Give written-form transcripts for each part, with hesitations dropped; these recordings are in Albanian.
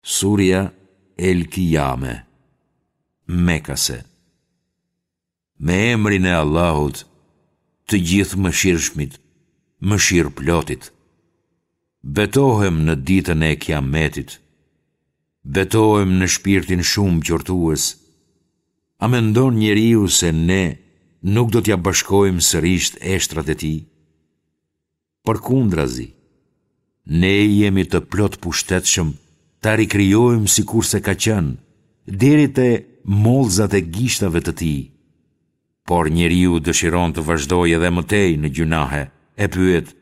Surja El Kijame, Mekase Me emrin e Allahut, të Gjithëmëshirshmit, Mëshirëplotit. Betohem në ditën e Kiametit. Betohem në shpirtin shumë qortues. A mendon njeriu se ne nuk do t'ia bashkojmë sërisht eshtrat e tij? Përkundrazi, ne jemi të plotpushtetshëm ta rikrijojmë sikurse ka qenë, deri te mollëzat e gishtave të tij. Por njeriu dëshiron të vazhdojë edhe më tej në gjynahe, e pyet,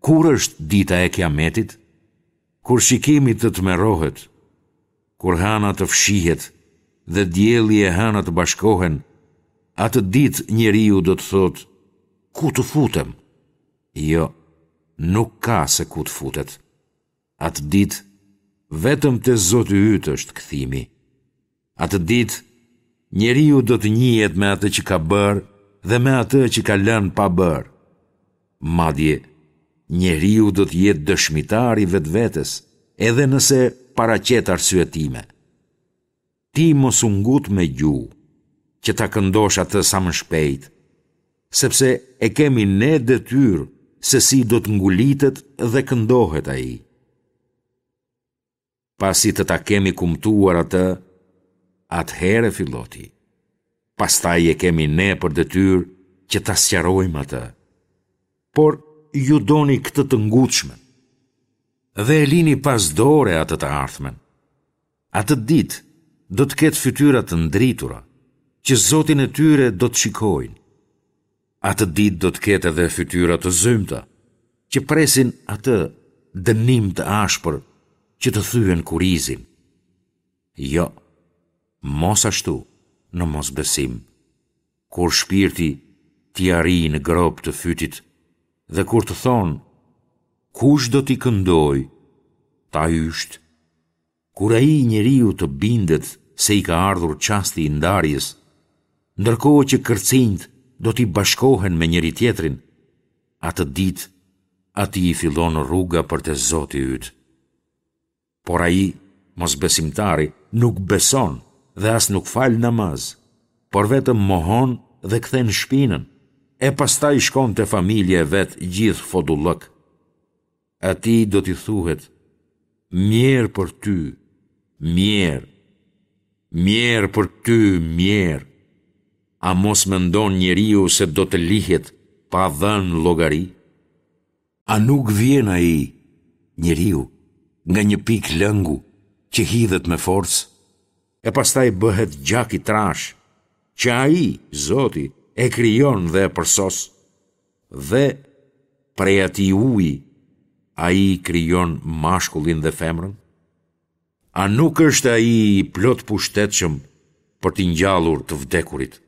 Kur është dita e Kiametit? Kur shikimi të tmerrohet, kur hëna të fshihet dhe dielli e hëna të bashkohen, atë ditë njeriu do të thotë, Ku të futem? Jo, nuk ka se ku të futet. Atë ditë, vetëm te Zoti yt është kthimi. Atë ditë, njeriu do të njihet me atë që ka bërë dhe me atë që ka lënë pa bërë. Madje, njeriu do të jetë dëshmitar i vetvetes, edhe nëse paraqet arsyetime. Ti mos u ngut me gjuhë, që ta këndosh atë sa më shpejt, sepse e kemi ne detyrë se si do të ngulitet dhe këndohet ai. Pasi të ta kemi kumtuar atë, atëherë fillo ti. Pastaj e kemi ne për detyrë që ta sqarojmë atë. Por ju doni këtë të ngutshmen dhe e lini pas dore atë të ardhmen. Atë ditë do të ketë fytyra të ndritura, që Zotin e tyre do të shikojnë. Atë ditë do të ketë edhe fytyra të zymta, që presin atë dënim të ashpër që të thyen kurrizin. Jo, mos ashtu në mosbesim, kur shpirti t'i arrijë në gropë të fytit dhe kur të thonë, kush do t'i këndojë, ta ysht, Kur ai njeriu të bindet se i ka ardhur çasti i ndarjes, ndërkohë që kërcinjtë do t'i bashkohen me njëri-tjetrin, atë ditë atij i fillon rruga për te Zoti yt. Por ai, mosbesimtari, nuk beson dhe as nuk fal namaz, por vetëm mohon dhe kthen shpinën, e pastaj shkon te familja e vet gjithë fodullëk. Atij do t'i thuhet, Mjerë për ty, mjerë, mjerë për ty, mjerë. A mos mendon njeriu se do të lihet pa dhënë llogari? A nuk vjen ai, njeriu, nga një pikë lëngu që hidhet me forcë, e pastaj bëhet gjak i trashë, që ai, Zoti, e krijon dhe e përsos? Dhe, prej atij uji, ai krijon mashkullin dhe femrën? A nuk është ai i plotpushtetshëm për t'i ngjallur të vdekurit?